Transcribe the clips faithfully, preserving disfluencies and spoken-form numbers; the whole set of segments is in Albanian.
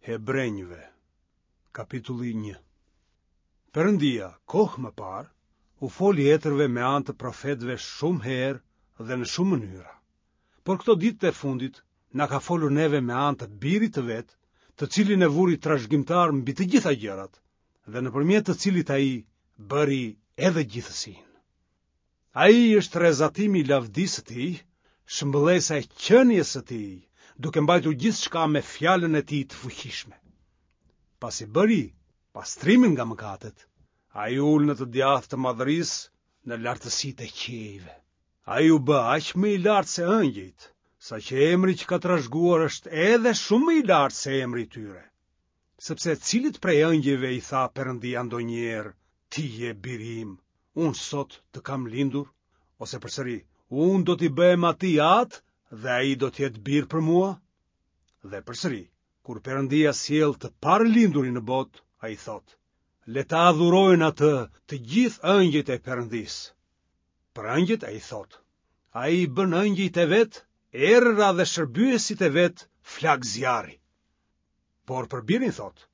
Hebrenjve, kapitulli një. Perëndia, kohë më parë, u foli etërve me anë të profetëve shumë herë dhe në shumë mënyra. Por këto ditët e fundit na ka folur neve me anë të Birit të vet, të cilin e vuri trashëgimtar mbi të gjitha gjërat dhe nëpërmjet të cilit ai bëri edhe gjithësinë. Ai është rrezatimi i lavdisë së tij, shëmbëllesa e qenies së tij, duke mbajtur gjithçka me fjalën e tij të fuqishme. Pasi bëri pastrimin nga mëkatet, ai u ul në të djathtë të madhërisë në lartësitë e qiejve. Ai u bë aq më i lartë se ëngjëjt, saqë emri që ka trashëguar është edhe shumë më i lartë se emri i tyre. Sepse cilit prej ëngjëjve i tha Perëndia ndonjëherë, ti je biri im, unë sot të kam lindur, ose përsëri, unë do t'i bëhem atij atë dhe ai do të jetë bir për mua? Dhe përsëri, kur Perëndia sjell të parëlindurin në botë, ai thotë, le ta adhurojnë atë të gjithë ëngjëjt e Perëndisë. Për ëngjëjt ai thotë, ai i bën ëngjëjt e vet, erëra dhe shërbyesit e vet flakë zjarri. Por për birin thotë,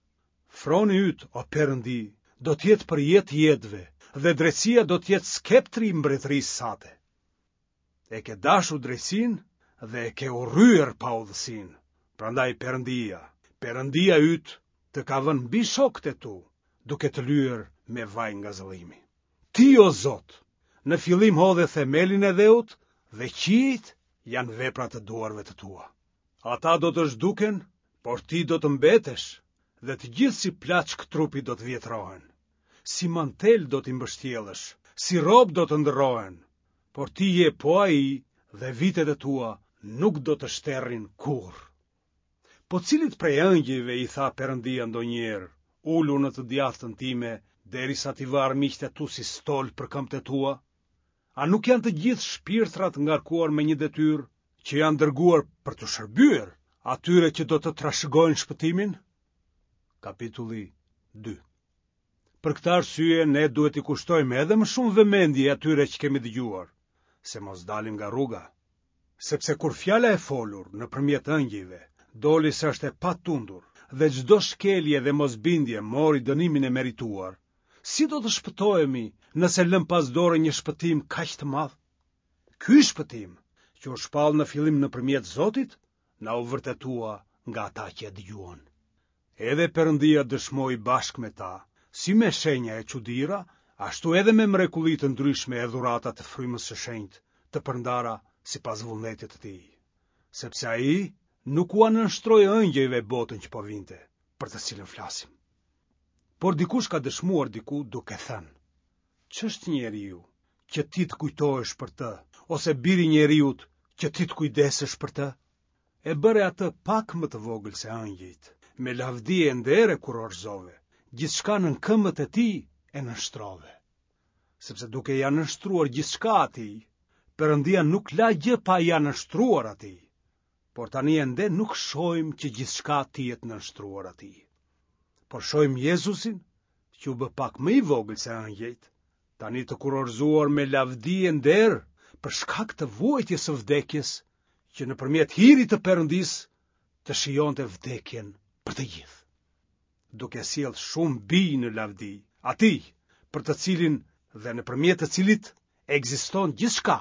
froni yt, o Perëndi, do të jetë për jetë të jetëve, dhe drejtësia do të jetë skeptri i mbretërisë sate. E ke dashur drejtësinë dhe e ke urryer paudhësinë. Prandaj Perëndia, Perëndia yt, të ka vënë mbi shokët e tu, duke të lyer me vaj ngazëllimi. Ti, o Zot, në fillim hodhe themelin e dheut dhe qiejt janë vepra të duarve të tua. Ata do të zhduken, por ti do të mbetesh, dhe të gjithë si plaçkë trupi do të vjetrohen. Si mantel do t'i mbështjellësh, si rrobë do të ndërrohen, por ti je po ai dhe vitet e tua nuk do të shterrin kurrë. Po cilit prej ëngjëjve i tha Perëndia ndonjëherë, ulu në të djathtën time, derisa t'i vë armiqtë e tu si stol për këmbët e tua? A nuk janë të gjithë shpirtrat ngarkuar me një detyrë që janë dërguar për t'u shërbyer atyre që do të trashëgojnë shpëtimin? Kapitulli dy. Për këtë arsye ne duhet t'i kushtojmë edhe më shumë vëmendje atyre që kemi dëgjuar, se mos dalim nga rruga. Sepse kur fjala e folur nëpërmjet ëngjëjve doli se është e patundur dhe çdo shkelje dhe mosbindje mori dënimin e merituar, si do të shpëtohemi nëse lëmë pas dore një shpëtim kaq të madh? Ky shpëtim, që u shpall në fillim nëpërmjet Zotit, na u vërtetua nga ata që e dëgjuan. Edhe Perëndia dëshmoi bashkë me ta, si me shenja e çudira, ashtu edhe me mrekulli të ndryshme e dhurata të frymës së shenjtë, të përndara sipas vullnetit të tij. Sepse ai nuk ua nënshtroi ëngjëjve botën që po vinte, për të cilën flasim. Por dikush ka dëshmuar diku duke thënë, ç'është njeriu që ti të kujtohesh për të, ose biri i njeriut që ti të kujdesesh për të? E bëre atë pak më të vogël se ëngjëjt, me lavdi e nder e kurorëzove, gjithçka nën këmbët e tij e nënshtrove. Sepse duke ia nënshtruar gjithçka atij, Perëndia nuk la gjë pa ia nënshtruar atij. Por tani ende nuk shohim që gjithçka t'i jetë nënshtruar atij. Por shohim Jezusin, që u bë pak më i vogël se ëngjëjt, tani të kurorëzuar me lavdi e nder për shkak të vuajtjes së vdekjes, që nëpërmjet hirit të Perëndisë të shijonte vdekjen për të gjithë, duke sjellë shumë bij në lavdi, atij për të cilin dhe nëpërmjet të cilit ekziston gjithçka,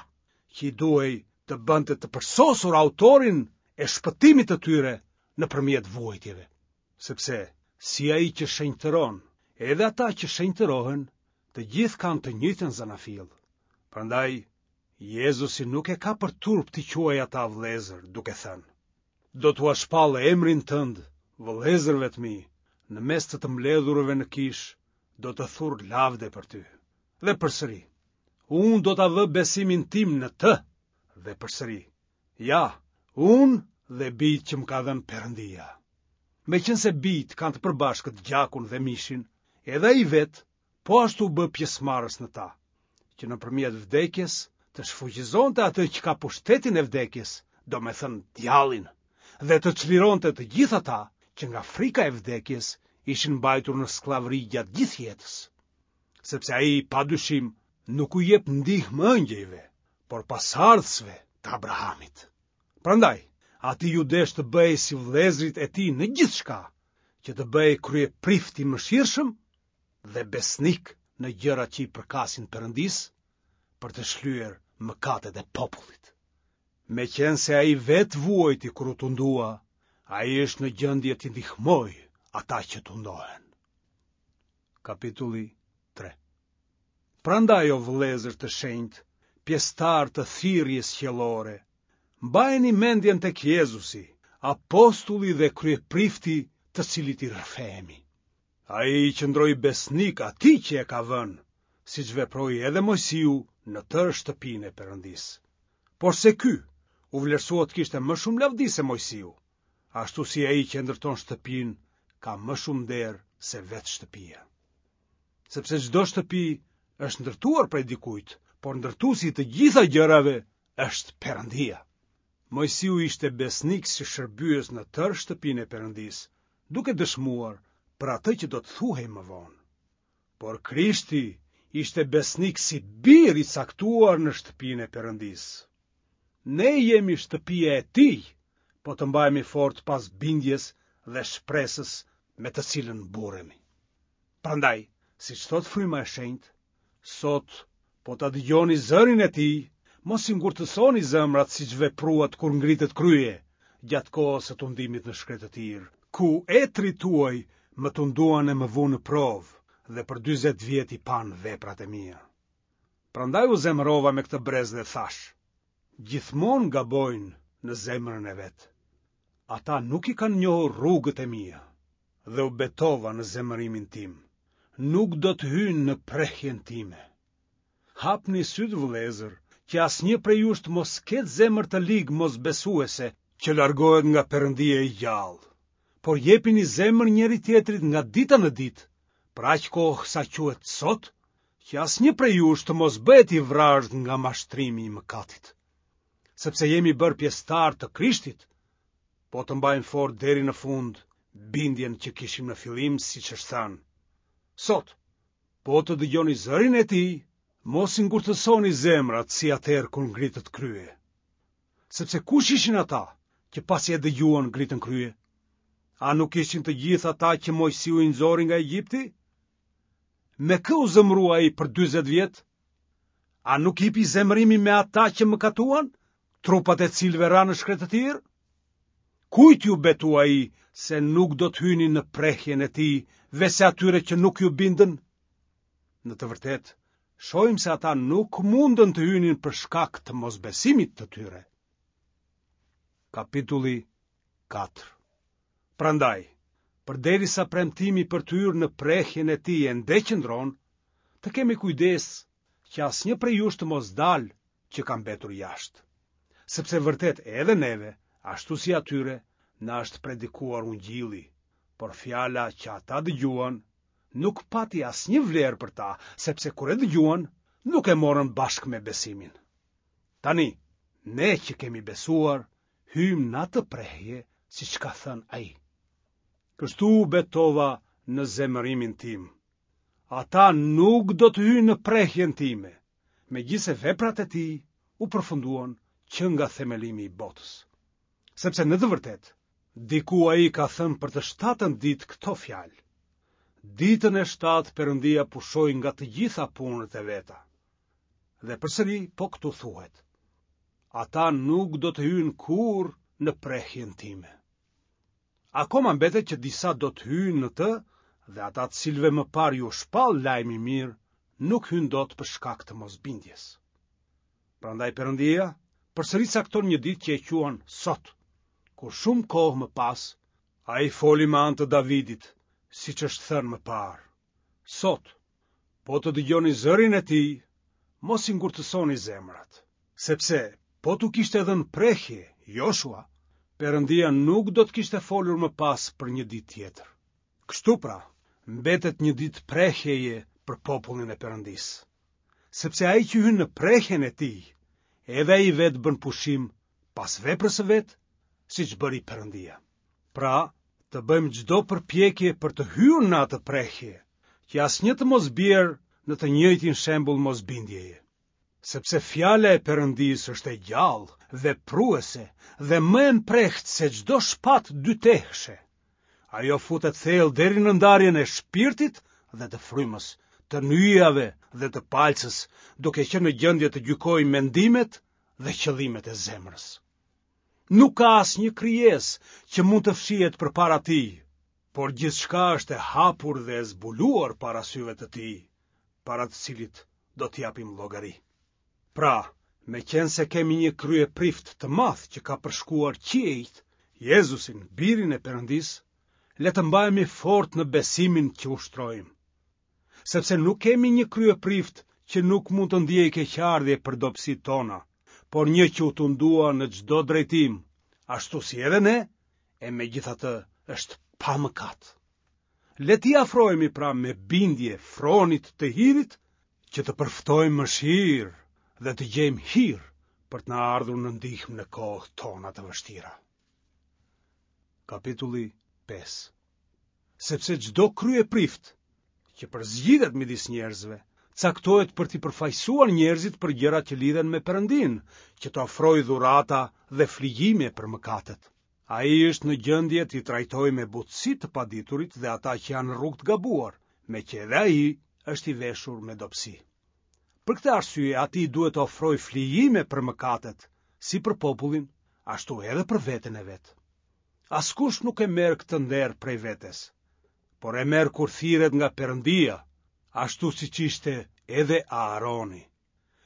që i duhej të bënte të përsosur autorin e shpëtimit të tyre nëpërmjet vuajtjeve. Sepse si ai që shenjtëron, edhe ata që shenjtërohen, të gjithë kanë të njëjtën zanafillë. Prandaj Jezusi nuk e ka për turp t'i quajë ata vëllezër, duke thënë: Do t'ua shpall emrin tënd vëllezërve të mi, në mes të të mbledhurve në kishë, do të thur lavde për ty. Dhe përsëri, unë do ta vë besimin tim në të. Dhe përsëri, ja, unë dhe bijtë që më ka dhënë Perëndia. Meqenëse bijtë kanë të përbashkët gjakun dhe mishin, edhe ai vetë po ashtu u bë pjesëmarrës në ta, që nëpërmjet vdekjes të shfuqizonte atë që ka pushtetin e vdekjes, domethënë djallin, dhe të çlironte të gjithë ata që nga frika e vdekjes ishin mbajtur në skllavëri gjatë gjithë jetës. Sepse ai padyshim nuk u jep ndihmë ëngjëjve, por pasardhësve të Abrahamit. Prandaj, atij iu desh të bëhej si vëllezërit e tij në gjithçka, që të bëhej kryeprift i mëshirshëm dhe besnik në gjërat që i përkasin Perëndisë, për të shlyer mëkatet e popullit. Meqenëse ai vetë vuajti kur u tundua, ai është në gjendje t'i ndihmojë ata që tundohen. Kapitulli tre. Prandaj, o vëllezër të shenjtë, pjesëtarë të thirrjes qiellore, mbajeni mendjen tek Jezusi, apostulli dhe kryeprifti të cilit i rrëfehemi. Ai i qëndroi besnik atij që e ka vënë, siç veproi edhe Moisiu në tërë shtëpinë e Perëndisë. Porse ky u vlerësua të kishte më shumë lavdi se Moisiu, ashtu si ai që e ndërton shtëpinë ka më shumë nder se vetë shtëpia. Sepse çdo shtëpi është ndërtuar prej dikujt, por ndërtuesi i të gjitha gjërave është Perëndia. Moisiu ishte besnik si shërbyes në tërë shtëpinë e Perëndisë, duke dëshmuar për atë që do të thuhej më vonë. Por Krishti ishte besnik si bir i caktuar në shtëpinë e Perëndisë. Ne jemi shtëpia e tij, po të mbahemi fort pas bindjes dhe shpresës me të cilën mburremi. Prandaj, siç thotë Fryma e Shenjtë, sot po ta dëgjoni zërin e tij, mos i ngurtësoni zemrat siç vepruat kur ngritët krye, gjatë kohës së tundimit në shkretëtirë, ku etërit tuaj më tunduan e më vunë në provë dhe për dyzet vjet i panë veprat e mia. Prandaj u zemërova me këtë brez dhe thashë, gjithmonë gabojnë në zemrën e vet. Ata nuk i kanë njohur rrugët e mia dhe u betova në zemërimin tim. Nuk do të hyjnë në prehjen time. Hapni sytë, vëllezër, që asnjë prej jush të mos ketë zemër të ligë mosbesuese që largohet nga Perëndia i gjallë. Por jepini zemër njëri tjetrit nga dita në ditë, për aq kohë sa quhet sot, që asnjë prej jush të mos bëhet i vrazhdë nga mashtrimi i mëkatit. Sepse jemi bërë pjesëtar të Krishtit, po të mbajmë fort deri në fund bindjen që kishim në fillim, siç është thënë. Sot, po të dëgjoni zërin e tij, mos i ngurtësoni zemrat si atëherë kur ngritët krye. Sepse kush ishin ata që pasi e dëgjuan ngritën krye? A nuk ishin të gjithë ata që Moisiu i nxori nga Egjipti? Me kë u zemërua ai për dyzet vjet? A nuk hipi zemërimi me ata që mëkatuan, trupat e cilëve ranë në shkretëtirë? Kujt ju betua ai se nuk do të hynin në prehjen e tij, veçse atyre që nuk ju bindën? Në të vërtetë, shohim se ata nuk mundën të hynin për shkak të mosbesimit të tyre. Kapitulli katër. Prandaj, përderisa premtimi për të hyrë në prehjen e tij ende qëndron, të kemi kujdes që asnjë prej jush të mos dalë që ka mbetur jashtë. Sepse vërtet edhe neve, ashtu si atyre, na është predikuar ungjilli, por fjala që ata dëgjuan nuk pati asnjë vlerë për ta, sepse kur e dëgjuan, nuk e morën bashkë me besimin. Tani, ne që kemi besuar, hyjmë në atë prehje, siç ka thënë ai. Kështu u betova në zemërimin tim. Ata nuk do të hyjnë në prehjen time, megjithëse veprat e tij u përfunduan që nga themelimi i botës. Sepse në të vërtetë, diku ai ka thënë për të shtatën ditë këto fjalë. Ditën e shtatë Perëndia pushoi nga të gjitha punët e veta. Dhe përsëri po këtu thuhet: Ata nuk do të hyjnë kurrë në prehjen time. Akoma mbetet që disa do të hyjnë në të dhe ata të cilëve më parë ju shpall lajmi i mirë, nuk hyjnë dot për shkak të mosbindjes. Prandaj Perëndia përsëri cakton një ditë që e quan sot, kur shumë kohë më pas ai foli me anë të Davidit, siç është thënë më parë. Sot, po të dëgjoni zërin e tij, mos i ngurtësoni zemrat, sepse po t'u kishte dhënë prehje Joshua, Perëndia nuk do të kishte folur më pas për një ditë tjetër. Kështu pra, mbetet një ditë prehjeje për popullin e Perëndisë, sepse ai që hyn në prehjen e tij, edhe ai vetë bën pushim pas veprës së vet, siç bëri Perëndia. Pra, të bëjmë çdo përpjekje për të hyrë në atë prehje, që asnjë të mos bjerë në të njëjtin shembull mosbindjeje. Sepse fjala e Perëndisë është e gjallë, vepruese dhe më e mprehtë se çdo shpatë dytehshe. Ajo futet thellë deri në ndarjen e shpirtit dhe të frymës, të nyjave dhe të palcës, duke qenë në gjendje të gjykojë mendimet dhe qëllimet e zemrës. Nuk ka asnjë krijesë që mund të fshihet përpara tij, por gjithçka është e hapur dhe e zbuluar para syve të tij, para të cilit do të japim llogari. Pra, meqenëse kemi një kryeprift të madh që ka përshkuar qiejt, Jezusin, birin e Perëndisë, le të mbahemi fort në besimin që ushtrojmë. Sepse nuk kemi një kryeprift që nuk mund të ndiejë keqardhje për dobësitë tona, por një që u tundua në çdo drejtim, ashtu si edhe ne, e megjithatë është pa mëkat. Le t'i afrohemi pra me bindje fronit të hirit, që të përftojmë mëshirë dhe të gjejmë hir për të na ardhur në ndihmë në kohët tona të vështira. Kapitulli pesë. Sepse çdo kryeprift që përzgjidhet midis njerëzve, caktohet për t'i përfaqësuar njerëzit për gjërat që lidhen me Perëndinë, që të ofrojë dhurata dhe flijime për mëkatet. Ai është në gjendje t'i trajtojë me butësi të paditurit dhe ata që janë në rrugë të gabuar, meqë edhe ai është i veshur me dobësi. Për këtë arsye atij duhet të ofrojë flijime për mëkatet, si për popullin, ashtu edhe për veten e vet. Askush nuk e merr këtë nder prej vetes, por e merr kur thirret nga Perëndia, ashtu siç ishte edhe Aaroni.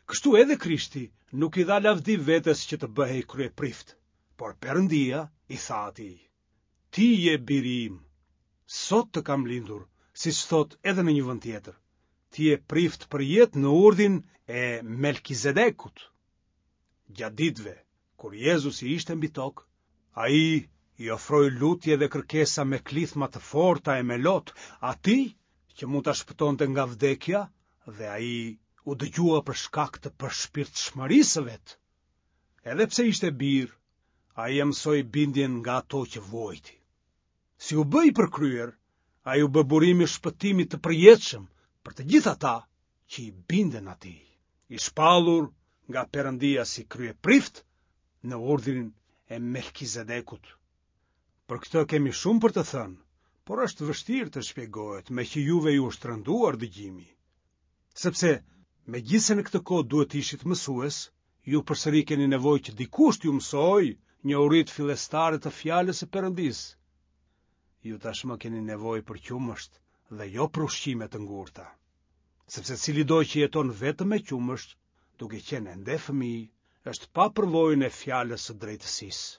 Kështu edhe Krishti nuk i dha lavdi vetes që të bëhej kryeprift, por Perëndia i tha atij: Ti je biri im, sot të kam lindur, siç thotë edhe në një vend tjetër. Ti je prift për jetë në urdhin e Melkizedekut. Gjatë ditëve, kur Jezusi ishte mbi tokë, ai i ofroi lutje dhe kërkesa me klithma të forta e me lot atij që mund ta shpëtonte nga vdekja, dhe ai u dëgjua për shkak të përshpirtshmërisë së vet. Edhe pse ishte bir, ai e mësoi bindjen nga ato që vuajti. Si u bë i përkryer, ai u bë burimi i shpëtimit të përjetshëm për të gjithë ata që i binden atij, i shpallur nga Perëndia si kryeprift në urdhrin e Melkizedekut. Për këtë kemi shumë për të thënë, por është vështirë të shpjegohet, meqë juve ju është rënduar dëgjimi. Sepse, megjithëse në këtë kohë duhet të ishit mësues, ju përsëri keni nevojë që dikush t'ju mësojë njohuritë fillestare të fjalës së Perëndisë. Ju tashmë keni nevojë për qumësht dhe jo për ushqime të ngurta. Sepse cilido që jeton vetëm me qumësht, duke qenë ende fëmijë, është pa përvojën e fjalës së drejtësisë.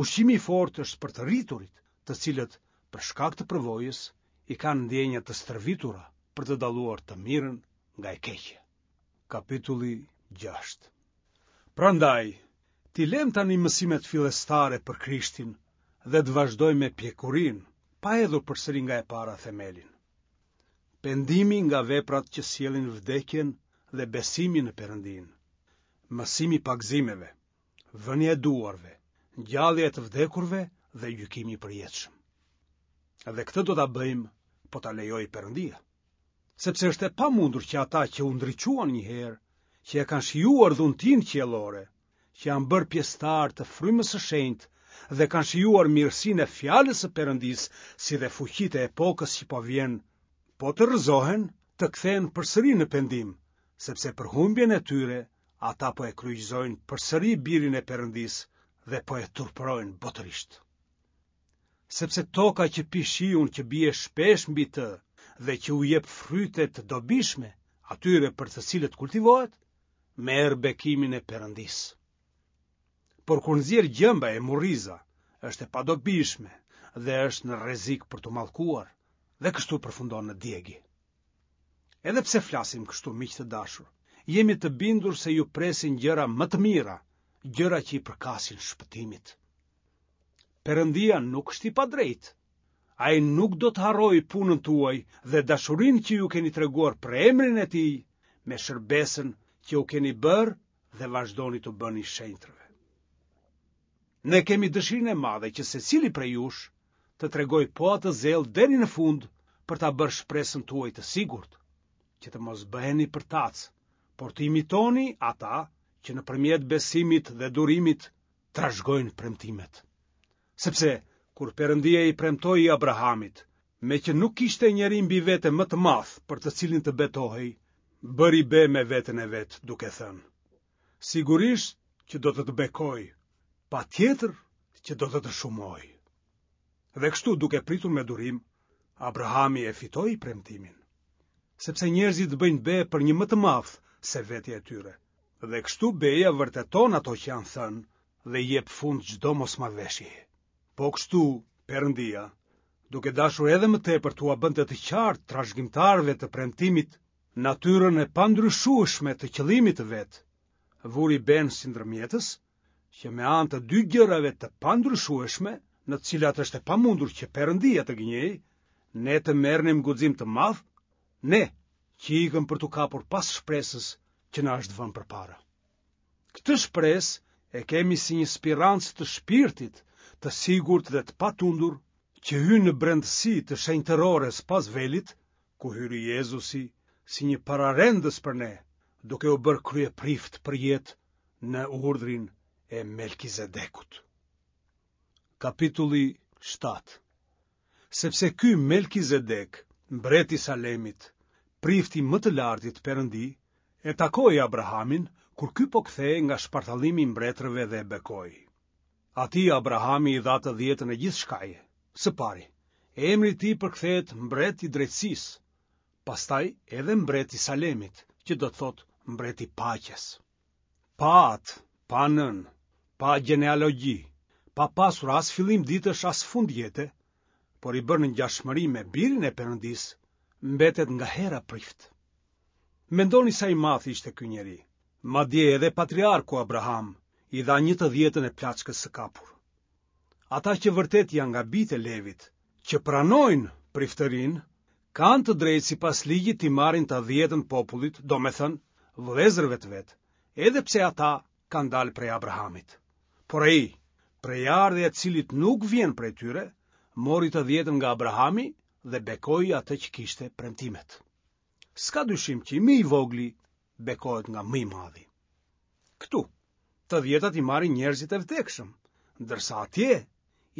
Ushqimi i fortë është për të rriturit, të cilët, për shkak të përvojës, i kanë ndjenja të stërvitura për të dalluar të mirën nga e keqja. Kapitulli gjashtë. Prandaj, t'i lëm tani mësimet fillestare për Krishtin dhe të vazhdojmë me pjekurinë, pa hedhur përsëri nga e para themelin. Pendimi nga veprat që sjellin vdekjen dhe besimi në Perëndinë, mësimi i pagëzimeve, vënia e duarve, ngjallja e të vdekurve dhe gjykimi i përjetshëm. Dhe këtë do ta bëjmë, po ta lejojë Perëndia. Sepse është e pamundur që ata që u ndriçuan një herë, që e kanë shijuar dhuntinë qiellore, që janë bërë pjesëtar të frymës së shenjtë dhe kanë shijuar mirësinë e fjalës së Perëndisë, si dhe fuqitë e epokës që po vjen, po të rrëzohen, të kthehen përsëri në pendim, sepse për humbjen e tyre ata po e kryqëzojnë përsëri birin e Perëndisë dhe po e turpërojnë botërisht. Sepse toka që pi shiun që bie shpesh mbi të dhe që u jep fryte të dobishme atyre për të cilët kultivohet, merr bekimin e Perëndisë. Por kur nxjerr gjemba e murriza, është e padobishme dhe është në rrezik për t'u mallkuar, dhe kështu përfundon në djegje. Edhe pse flasim kështu, miq të dashur, jemi të bindur se ju presin gjëra më të mira, gjëra që i përkasin shpëtimit. Perëndia nuk është i padrejtë. Ai nuk do të harrojë punën tuaj dhe dashurinë që ju keni treguar për emrin e tij me shërbesën që u keni bërë dhe vazhdoni të bëni shenjtërve. Ne kemi dëshirën e madhe që secili prej jush të tregojë po atë zell deri në fund për ta bërë shpresën tuaj të sigurt, që të mos bëheni përtac, por të imitoni ata që nëpërmjet besimit dhe durimit trashëgojnë premtimet. Sepse kur Perëndia i premtoi Abrahamit, meqë nuk kishte njeri mbi vete më të madh për të cilin të betohej, bëri be me veten e vet, duke thënë: Sigurisht që do të të bekoj, patjetër që do të të shumoj. Dhe kështu duke pritur me durim, Abrahami e fitoi premtimin. Sepse njerëzit bëjnë be për një më të madh se vetja e tyre. Dhe kështu beja vërteton ato që janë thënë dhe i jep fund çdo mosmarrëveshjeje. Po kështu, Perëndia, duke dashur edhe më tepër t'ua bënte të qartë trashëgimtarëve të premtimit natyrën e pandryshueshme të qëllimit të vet, vuri benë si ndërmjetës, që me anë të dy gjërave të pandryshueshme, në të cilat është e pamundur që Perëndia të gënjejë, ne të merrnim guxim të madh, ne që ikëm për t'u kapur pas shpresës që na është vënë përpara. Këtë shpresë e kemi si një spirancë të shpirtit, të sigurt dhe të patundur, që hyn në brendësi të shenjtërores pas velit, ku hyri Jezusi si një pararendës për ne, duke u bërë kryeprift për jetë në urdhrin e Melkizedekut. Kapitulli shtatë. Sepse ky Melkizedek, mbreti i Salemit, prifti i më të lartit Perëndi, e takoi Abrahamin kur ky po kthehej nga shpartallimi i mbretërve dhe e bekoi. Atij Abrahami i dha të dhjetën e gjithçkaje. Së pari, emri i tij përkthehet mbret i drejtësisë, pastaj edhe mbret i Salemit, që do të thotë mbret i paqes. Pa atë, pa nënë, pa gjenealogji, pa pasur as fillim ditësh as fund jete, por i bërë në ngjashmëri me birin e Perëndisë, mbetet nga hera prift. Mendoni sa i madh ishte ky njeri. Madje edhe patriarku Abraham i dha një të dhjetën e plaçkës së kapur. Ata që vërtet janë nga bijtë e Levit, që pranojnë priftërinë, kanë të drejtë sipas ligjit t'i marrin të dhjetën popullit, domethënë vëllezërve të vet, edhe pse ata kanë dalë prej Abrahamit. Por ai, prejardhja e të cilit nuk vjen prej tyre, mori të dhjetën nga Abrahami dhe bekoi atë që kishte premtimet. S'ka dyshim që më i vogli bekohet nga më i madhi. Këtu, të dhjetat i marrin njerëzit e vdekshëm, ndërsa atje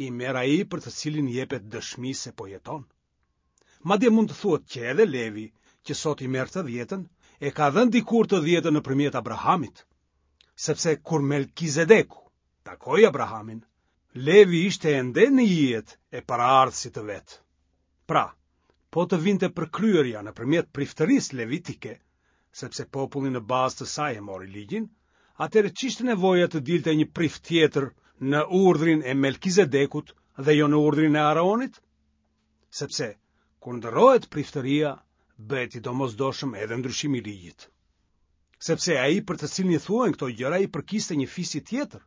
i merr ai për të cilin jepet dëshmi se po jeton. Madje mund të thuhet që edhe Levi, që sot i merr të dhjetën, e ka dhënë dikur të dhjetën nëpërmjet Abrahamit, sepse kur Melkizedeku takoi Abrahamin, Levi ishte ende në ijet e paraardhësit të vet. Pra, po të vinte përkryerja nëpërmjet priftërisë levitike, sepse populli në bazë të saj e mori ligjin, atëherë ç'ishte nevoja të dilte një prift tjetër në urdhrin e Melkizedekut dhe jo në urdhrin e Aaronit? Sepse kur ndërrohet priftëria, bëhet i domosdoshëm edhe ndryshimi i ligjit. Sepse ai për të cilin i thuhen këto gjëra i përkiste një fisi tjetër,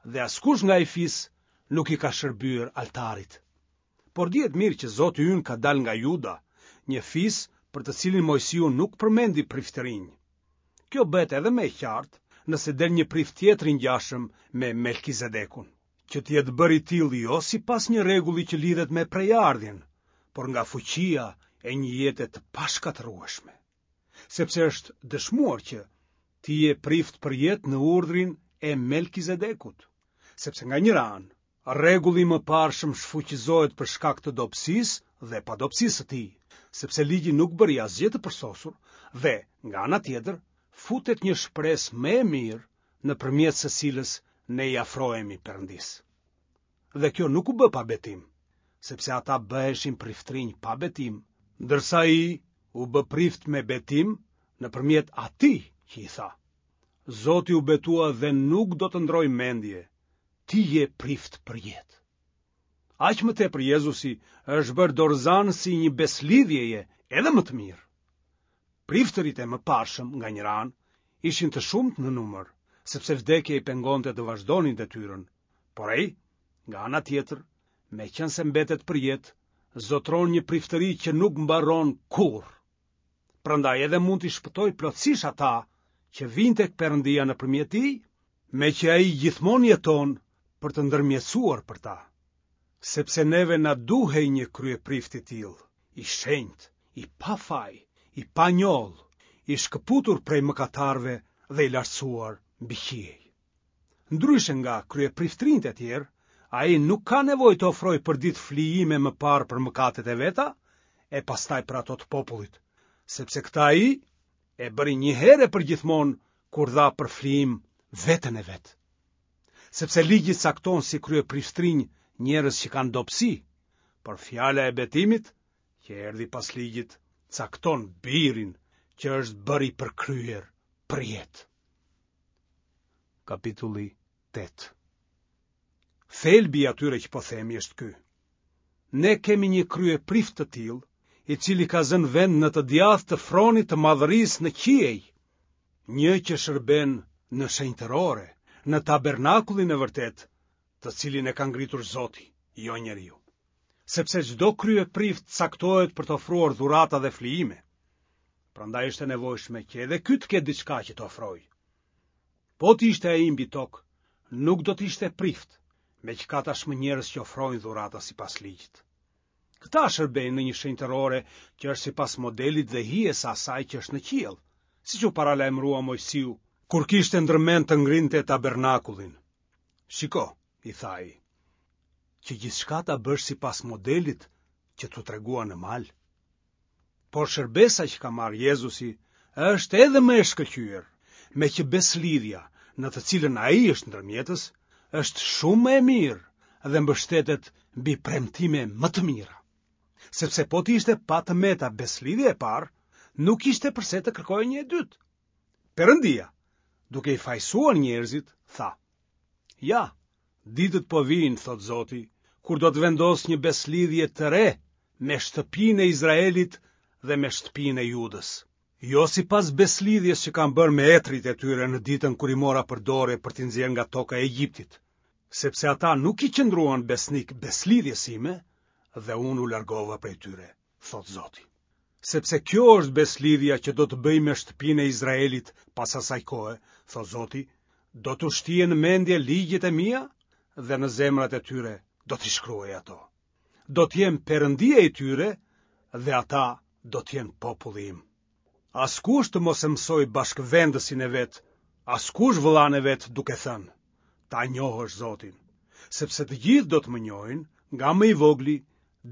dhe askush nga ai fis nuk i ka shërbyer altarit. Por dihet mirë që Zoti ynë ka dalë nga Juda, një fis për të cilin Moisiu nuk përmendi priftërinj. Kjo bëhet edhe më e qartë nëse del një prift tjetër i ngjashëm me Melkizedekun, që të jetë bërë i tillë jo sipas një rregulli që lidhet me prejardhjen, por nga fuqia e një jete të pashkatërrueshme. Sepse është dëshmuar që ti je prift për jetë në urdhrin e Melkizedekut, sepse nga njëra anë, rregulli i mëparshëm shfuqizohet për shkak të dobësisë dhe padobësisë së tij, sepse ligji nuk bëri asgjë të përsosur dhe, nga ana tjetër, futet një shpresë më e mirë nëpërmjet së cilës ne i afrohemi Perëndisë. Dhe kjo nuk u bë pa betim, sepse ata bëheshin priftërinj pa betim, ndërsa ai u bë prift me betim nëpërmjet atij që i tha: Zoti u betua dhe nuk do të ndrojë mendje, ti je prift për jetë. Aq më tepër Jezusi është bërë dorëzanësi i një beslidhjeje edhe më të mirë. Priftërit e mëparshëm nga njëra anë ishin të shumtë në numër, sepse vdekja i pengonte të vazhdonin detyrën, por ai, nga ana tjetër, meqenëse mbetet për jetë, zotëron një priftëri që nuk mbaron kurrë. Prandaj edhe mund t'i shpëtojë plotësisht ata që vijnë tek Perëndia nëpërmjet tij, meqë ai gjithmonë jeton për të ndërmjetësuar për ta. Sepse neve na duhej një kryeprift i tillë, i shenjtë, i pafaj, i panjollë, i shkëputur prej mëkatarëve dhe i lartësuar mbi qiej. Ndryshe nga kryepriftërinjtë e tjerë, ai nuk ka nevojë të ofrojë përditë flijime më parë për mëkatet e veta e pastaj për ato të popullit, sepse këtë ai e bëri një herë e përgjithmonë kur dha për flijim veten e vet. Sepse ligji cakton si kryepriftërinj njerëz që kanë dobësi, por fjala e betimit, që erdhi pas ligjit, cakton birin që është bërë i përkryer përjetë. Kapitulli tetë. Thelbi i atyre që po themi është ky. Ne kemi një kryeprift të tillë, i cili ka zënë vend në të djathtë të fronit të madhërisë në qiej, një që shërben në shenjtërore, në tabernakullin e vërtetë, të cilin e ka ngritur Zoti, jo njeriu. Sepse çdo kryeprift caktohet për të ofruar dhurata dhe flijime. Prandaj është e nevojshme që edhe ky të ketë diçka që të ofrojë. Po të ishte ai mbi tokë, nuk do të ishte prift, meqë ka tashmë njerëz që ofrojnë dhurata sipas ligjit. Këta shërbejnë në një shenjtërore që është sipas modelit dhe hijes së asaj që është në qiell, siç u paralajmërua Moisiu kur kishte ndërmend të ngrinte tabernakullin. Shiko, i tha ai, që gjithçka ta bësh sipas modelit që t'u tregua në mal. Por shërbesa që ka marrë Jezusi është edhe më e shkëlqyer, meqë besëlidhja në të cilën ai është ndërmjetës, është shumë më e mirë dhe mbështetet mbi premtime më të mira. Sepse po të ishte pa të meta besëlidhja e parë, nuk ishte përse të kërkohej një e dytë. Perëndia, duke i fajësuar njerëzit, tha: Ja, ditët po vijnë, thotë Zoti, kur do të vendos një besëlidhje të re me shtëpinë e Izraelit dhe me shtëpinë e Judës. Jo sipas besëlidhjes që kam bërë me etërit e tyre në ditën kur i mora për dore për t'i nxjerrë nga toka e Egjiptit, sepse ata nuk i qëndruan besnik besëlidhjes sime dhe unë u largova prej tyre, thotë Zoti. Sepse kjo është besëlidhja që do të bëj me shtëpinë e Izraelit pas asaj kohe, thotë Zoti, do t'u shtijë në mendje ligjet e mia dhe në zemrat e tyre do t'i shkruaj ato. Do të jem Perëndia i tyre dhe ata do të jenë populli im. Askush të mos e mësojë bashkëvendësin e vet, askush vëllanë e vet duke thënë, ta njohësh Zotin, sepse të gjithë do të më njohin, nga më i vogli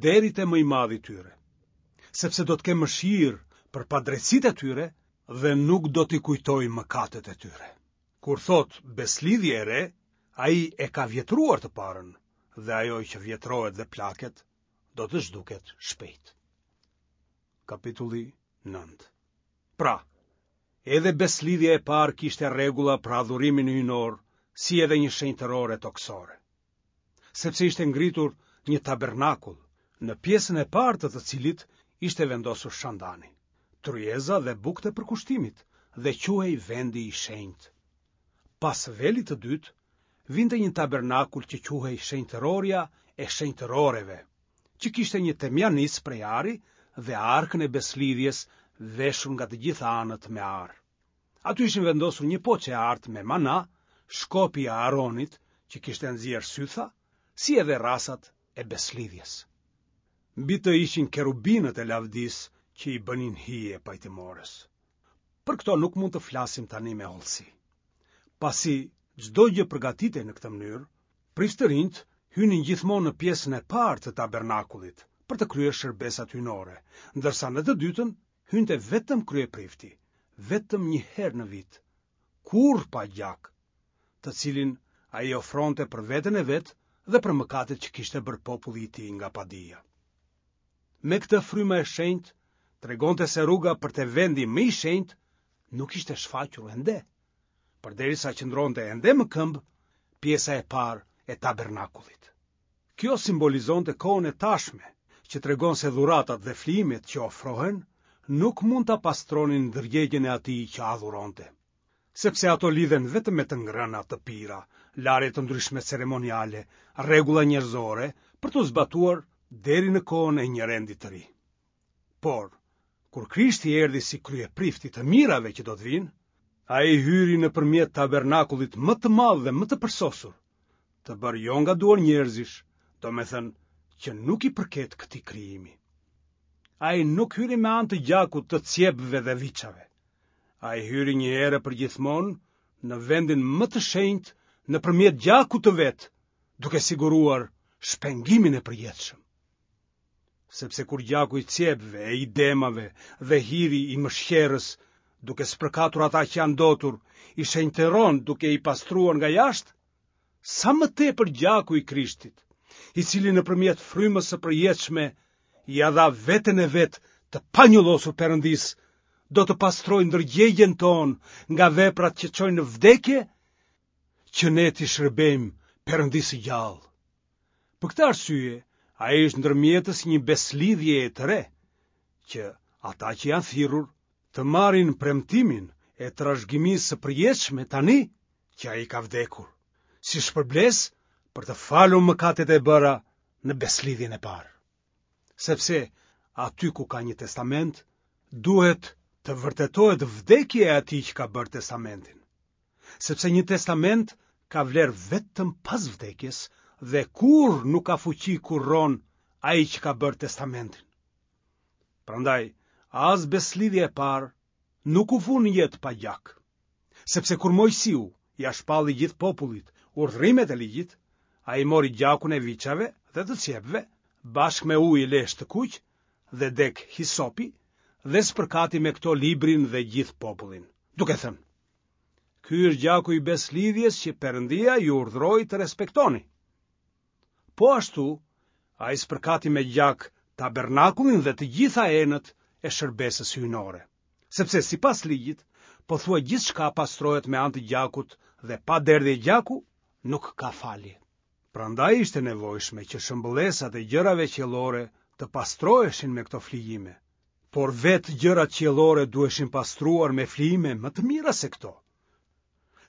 deri te më i madhi i tyre. Sepse do të kem mëshirë për padrejtësitë e tyre dhe nuk do t'i kujtoj mëkatet e tyre. Kur thotë besëlidhje e re, ai e ka vjetruar të parën, dhe ajo që vjetrohet dhe plaket, do të zhduket shpejt. Kapitulli nëntë. Pra, edhe besëlidhja e parë kishte rregulla për adhurimin hyjnor, si edhe një shenjtërore tokësore. Sepse ishte ngritur një tabernakull, në pjesën e parë të të cilit ishte vendosur shandani, tryeza dhe bukët e përkushtimit, dhe quhej vendi i shenjtë. Pas velit të dytë, vinte një tabernakull që quhej shenjtërorja e shenjtëroreve, që kishte një temjanicë prej ari dhe arkën e besëlidhjes veshur nga të gjitha anët me ar. Aty ishin vendosur një poçe e artë me mana, shkopi i Aaronit që kishte nxjerrë sytha, si edhe rrasat e besëlidhjes. Mbi të ishin kerubinët e lavdisë që i bënin hije pajtimores. Për këto nuk mund të flasim tani me hollësi. Pasi çdo gjë përgatitej në këtë mënyrë, priftërinjtë hynin gjithmonë në pjesën e parë të tabernakullit për të kryer shërbesat hyjnore, ndërsa në të dytën hynte vetëm kryeprifti, vetëm një herë në vit, kurrë pa gjak, të cilin ai ofronte për veten e vet dhe për mëkatet që kishte bërë populli i tij nga padija. Me këtë fryma e shenjtë tregonte se rruga për te vendi më i shenjtë nuk ishte shfaqur ende, përderisa qëndronte ende më këmbë pjesa e parë e tabernakullit. Kjo simbolizonte kohën e tashme, që tregon se dhuratat dhe flijimet që ofrohen nuk mund ta pastronin ndërgjegjen e atij që adhuronte, sepse ato lidhen vetëm me të ngrëna, të pira, larje të ndryshme ceremoniale, rregulla njerëzore për t'u zbatuar deri në kohën e një rendi të ri. Por, kur Krishti erdhi si kryeprift i të mirave që do të vinë, ai hyri nëpërmjet tabernakullit më të madh dhe më të përsosur, të bërë jo nga duar njerëzish, domethënë që nuk i përket këtij krijimi. Ai nuk hyri me anë të gjakut të cjepve dhe viçave. Ai hyri një herë përgjithmonë në vendin më të shenjtë nëpërmjet gjakut të vet, duke siguruar shpengimin e përjetshëm. Sepse kur gjaku i cjepve e i demave dhe hiri i mëshqerrës, duke spërkatur ata që janë ndotur, i shenjtëron duke i pastruar nga jashtë, sa më tepër gjaku i Krishtit, i cili nëpërmjet frymës së përjetshme ia dha veten e vet të panjollosur Perëndisë, do të pastrojë ndërgjegjen tonë nga veprat që çojnë në vdekje, që ne t'i shërbejmë Perëndisë së gjallë. Për këtë arsye, ai është ndërmjetës i një besëlidhjeje të re, që ata që janë thirrur të marrin premtimin e trashëgimisë së përjetshme tani që ai ka vdekur, si shpërblesë për të falur mëkatet e bëra në besëlidhjen e parë. Sepse aty ku ka një testament, duhet të vërtetohet vdekja e atij që ka bërë testamentin. Sepse një testament ka vlerë vetëm pas vdekjes dhe kurrë nuk ka fuqi kur rron ai që ka bërë testamentin. Prandaj, as besëlidhja e parë nuk u vu në jetë pa gjak. Sepse kur Moisiu ia shpalli gjithë popullit urdhërimet e ligjit, ai mori gjakun e viçave dhe të cjepve, bashkë me ujë e lesh të kuq dhe degë hisopi, dhe spërkati me këto librin dhe gjithë popullin, duke thënë: Ky është gjaku i besëlidhjes që Perëndia ju urdhëroi të respektoni. Po ashtu, ai spërkati me gjak tabernakullin dhe të gjitha enët e shërbesës hyjnore. Sepse sipas ligjit, pothuaj gjithçka pastrohet me anë të gjakut dhe pa derdhje gjaku nuk ka falje. Prandaj ishte nevojshme që shëmbëllesat e gjërave qiellore të pastroheshin me këto flijime, por vetë gjërat qiellore duheshin pastruar me flijime më të mira se këto.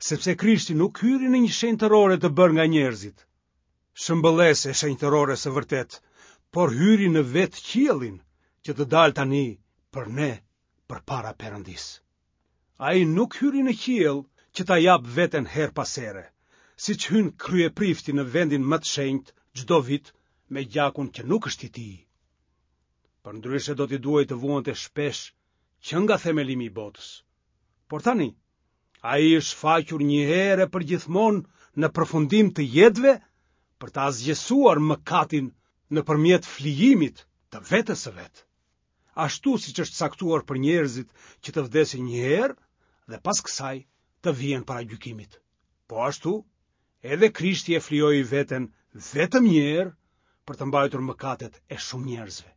Sepse Krishti nuk hyri në një shenjtërore të bërë nga njerëzit, shëmbëllesë e shenjtërores së vërtetë, por hyri në vetë qiellin, që të dalë tani për ne përpara Perëndisë. Ai nuk hyri në qiell që ta japë veten herë pas here, siç hyn kryeprifti në vendin më të shenjtë çdo vit me gjakun që nuk është i tij. Përndryshe do t'i duhej të vuante shpesh që nga themelimi i botës. Por tani, ai është shfaqur një herë e përgjithmonë në përfundim të jetëve për të asgjësuar mëkatin nëpërmjet flijimit të vetes së vet. Ashtu siç është caktuar për njerëzit që të vdesin një herë dhe pas kësaj të vihen para gjykimit. Po ashtu, edhe Krishti e flijoi veten vetëm një herë për të mbajtur mëkatet e shumë njerëzve.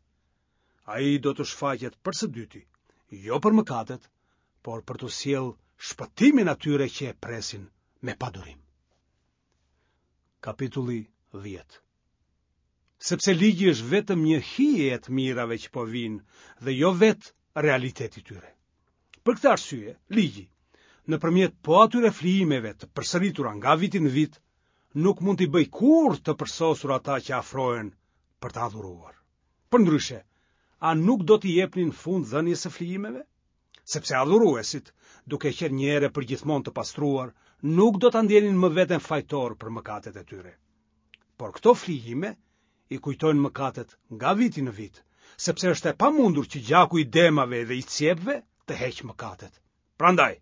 Ai do të shfaqet për së dyti, jo për mëkatet, por për t'u sjellë shpëtimin atyre që e presin me padurim. Kapitulli dhjetë. Sepse ligji është vetëm një hije e të mirave që po vijnë dhe jo vetë realiteti i tyre. Për këtë arsye, ligji, nëpërmjet po atyre flijimeve të përsëritura nga viti në vit, nuk mund t'i bëjë kurrë të përsosur ata që afrohen për të adhuruar. Përndryshe, a nuk do t'i jepnin fund dhënies së flijimeve? Sepse adhuruesit, duke qenë një herë përgjithmonë të pastruar, nuk do ta ndjenin më veten fajtor për mëkatet e tyre. Por këto flijime i kujtojnë mëkatet nga viti në vit, sepse është e pamundur që gjaku i demave dhe i cjepve të heqë mëkatet. Prandaj,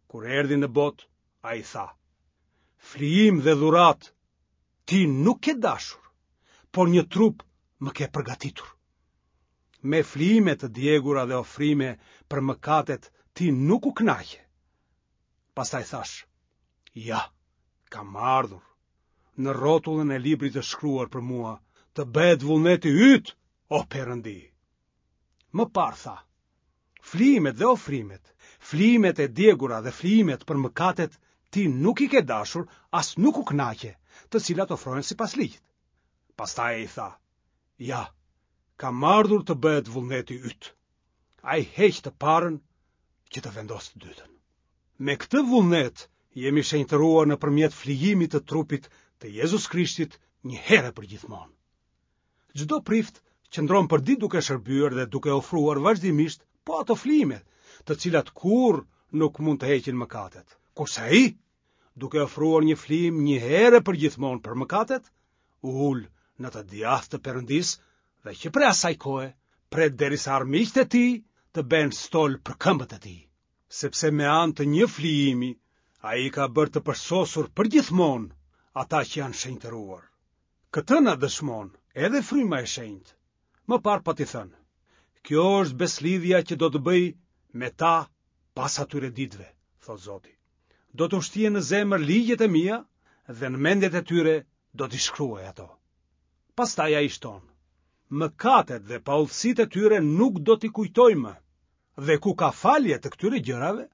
kur erdhi në botë, ai tha: Flijim dhe dhuratë ti nuk ke dashur, por një trup më ke përgatitur. Me flijime të djegura dhe ofrime për mëkatet ti nuk u kënaqe. Pastaj thash: Ja, kam ardhur. Në rrotullën e librit të shkruar për mua, të bëhet vullneti yt, o Perëndi. Më parë tha: Flijimet dhe ofrimet, flijimet e djegura dhe flijimet për mëkatet ti nuk i ke dashur, as nuk u kënaqe, të cilat ofrohen sipas ligjit. Pastaj ai tha: Ja, kam ardhur të bëhet vullneti yt. Ai heq të parën që të vendosë të dytën. Me këtë vullnet jemi shenjtëruar nëpërmjet flijimit të trupit të Jezus Krishtit një herë përgjithmonë. Çdo prift qëndron përditë duke shërbyer dhe duke ofruar vazhdimisht po ato flijime, të cilat kurrë nuk mund të heqin mëkatet. Kurse ai, duke ofruar një flijim një herë përgjithmonë për mëkatet, u ul në të djathtë të Perëndisë dhe që prej asaj kohe pret derisa armiqtë e tij të bëhen stol për këmbët e tij. Sepse me anë të një flijimi ai ka bërë të përsosur përgjithmonë ata që janë shenjtëruar. Këtë na dëshmon edhe Fryma e Shenjtë. Më parë pati thënë: Kjo është besëlidhja që do të bëj me ta pas atyre ditëve, thotë Zoti. Do t'u shtie në zemër ligjet e mia dhe në mendjet e tyre do t'i shkruaj ato. Pastaj ai shton: Mëkatet dhe paudhësitë e tyre nuk do t'i kujtoj më. Dhe ku ka falje të këtyre gjërave,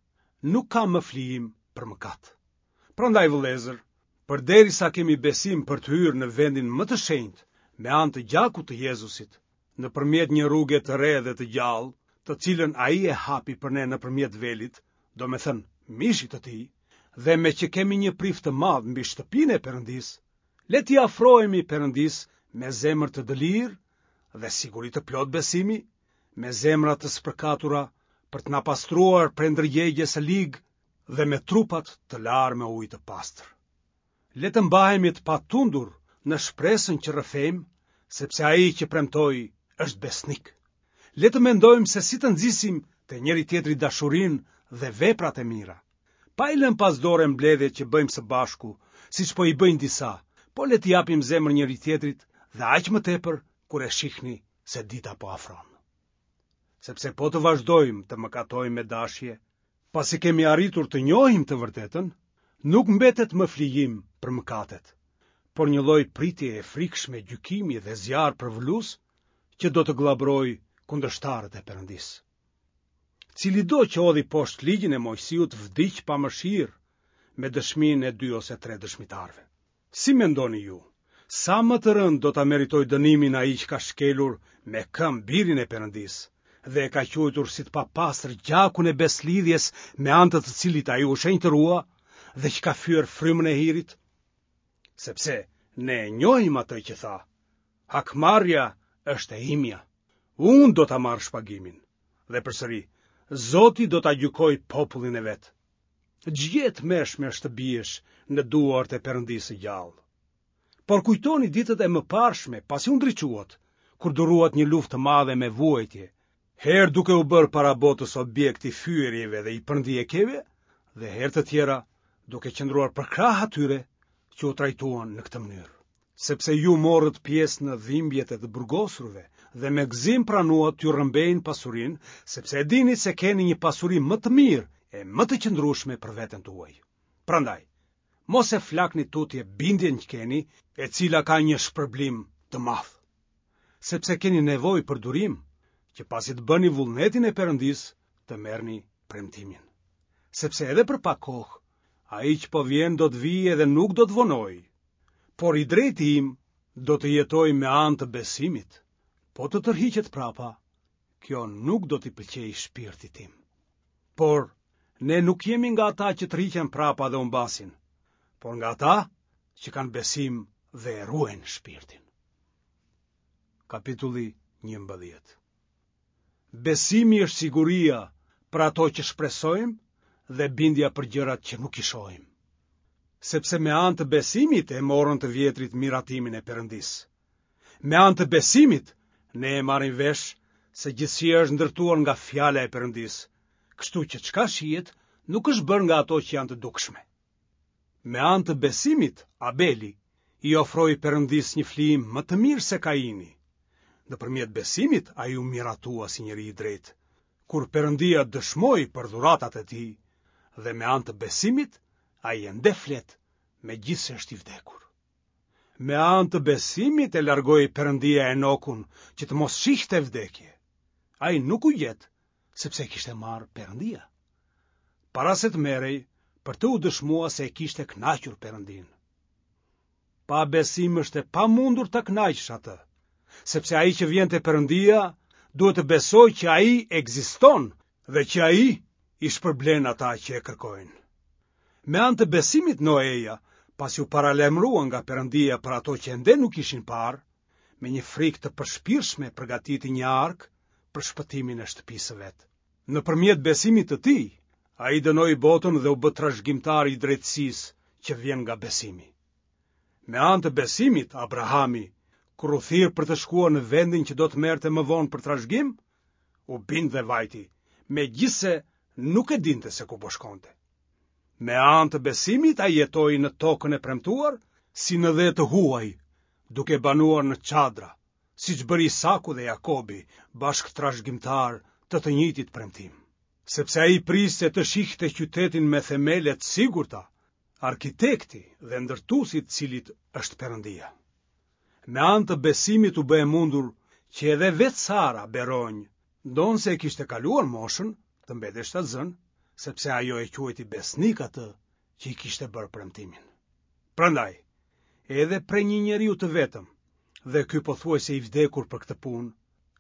nuk ka më flijim për mëkat. Prandaj vëllezër, përderisa kemi besim për të hyrë në vendin më të shenjtë me anë të gjakut të Jezusit, nëpërmjet një rruge të re dhe të gjallë, të cilën ai e hapi për ne nëpërmjet velit, domethënë mishit të tij, dhe me që kemi një prift të madh mbi shtëpinë e Perëndisë, le t'i afrohemi Perëndisë me zemër të dëlirë dhe siguri të plot besimi, me zemra të spërkatura për të na pastruar prej ndërgjegjes së ligë dhe me trupat të larë me ujë të pastër. Le të mbahemi të patundur në shpresën që rrëfejmë, sepse ai që premtoi është besnik. Le të mendojmë se si të nxisim te njëri-tjetri dashurinë dhe veprat e mira. Pa i lënë pas dore mbledhjet që bëjmë së bashku, siç po i bëjnë disa, po le t'i japim zemër njëri-tjetrit dhe aq më tepër kur e shihni se dita po afron. Sepse po të vazhdojmë të mëkatojmë me dashje, pasi kemi arritur të njohim të vërtetën, nuk mbetet më flijim për mëkatet, por një lloj pritje e frikshme gjykimi dhe zjarr përvëlues që do të gllabërojë kundërshtarët e Perëndisë. Cilido që hodhi poshtë ligjin e Moisiut vdiq pa mëshirë me dëshminë e dy ose tre dëshmitarëve. Si mendoni ju, sa më të rëndë do ta meritojë dënimin ai që ka shkelur me këmbë birin e Perëndisë dhe e ka quajtur si të papastër gjakun e besëlidhjes me anë të të cilit ai u shenjtërua dhe që ka fyer frymën e hirit? Sepse ne e njohim atë që tha: Hakmarrja është e imja, unë do ta marr shpagimin. Dhe përsëri, Zoti do ta gjykojë popullin e vet. Ç'gjë e tmerrshme është të biesh në duart e Perëndisë së gjallë. Por kujtoni ditët e mëparshme, pasi u ndriçuat, kur duruat një luftë të madhe me vuajtje, herë duke u bërë para botës objekt i fyerjeve dhe i përndjekjeve, dhe herë të tjera duke qëndruar përkrah atyre që u trajtuan në këtë mënyrë. Sepse ju morët pjesë në dhimbjet e të burgosurve dhe me gëzim pranuat t'ju rrëmbejnë pasurinë, sepse e dini se keni një pasuri më të mirë e më të qëndrueshme për veten tuaj. Prandaj, mos e flakni tutje bindjen që keni, e cila ka një shpërblim të madh. Sepse keni nevojë për durim, që pasi të bëni vullnetin e Perëndisë, të merrni premtimin. Sepse edhe për pak kohë, ai që po vjen do të vijë edhe nuk do të vonojë. Por i drejti im do të jetojë me anë të besimit. Po të tërhiqet prapa, kjo nuk do t'i pëlqejë shpirtit tim. Por ne nuk jemi nga ata që tërhiqen prapa dhe humbasin, por nga ata që kanë besim dhe e ruajnë shpirtin. Kapitulli njëmbëdhjetë. Besimi është siguria për ato që shpresojmë dhe bindja për gjërat që nuk i shohim. Sepse me anë të besimit e morën të vjetrit miratimin e Perëndisë. Me anë të besimit ne e marrim vesh se gjithësia është ndërtuar nga fjala e Perëndisë, kështu që çka shihet nuk është bërë nga ato që janë të dukshme. Me anë të besimit, Abeli i ofroi Perëndisë një flijim më të mirë se Kaini. Nëpërmjet besimit ai u miratua si njeri i drejtë, kur Perëndia dëshmoi për dhuratat e tij, dhe me anë të besimit ai ende flet, megjithëse është i vdekur. Me anë të besimit e largoi Perëndia Enokun që të mos shihte vdekje. Ai nuk u gjet, sepse e kishte marrë Perëndia. Para se të merrej, për të u dëshmua se e kishte kënaqur Perëndin. Pa besim është e pamundur ta kënaqësh atë, sepse ai që vjen te Perëndia duhet të besojë që ai ekziston dhe që ai i shpërblen ata që e kërkojnë. Me anë të besimit Noeja, pasi u paralajmërua nga Perëndia për ato që ende nuk ishin parë, me një frikë të përshpirtshme përgatiti një arkë për shpëtimin e shtëpisë së vet. Nëpërmjet besimit të tij, ai dënoi botën dhe u bë trashëgimtar i drejtësisë që vjen nga besimi. Me anë të besimit, Abrahami, kur u thirr për të shkuar në vendin që do të merrte më vonë për trashëgim, u bind dhe vajti, megjithëse nuk e dinte se ku po shkonte. Me anë të besimit ai jetoi në tokën e premtuar, si në dhe të huaj, duke banuar në çadra, siç bëri Isaku dhe Jakobi, bashkëtrashëgimtarë të të njëjtit premtim. Sepse ai priste të shihte qytetin me themele të sigurta, arkitekti dhe ndërtuesi i të cilit është Perëndia. Me anë të besimit u bë e mundur që edhe vetë Sara beronjë, ndonëse e kishte kaluar moshën, të mbetej shtatzënë, sepse ajo e quajti besnik atë që i kishte bërë premtimin. Prandaj, edhe prej një njeriu të vetëm, dhe ky pothuajse i vdekur për këtë punë,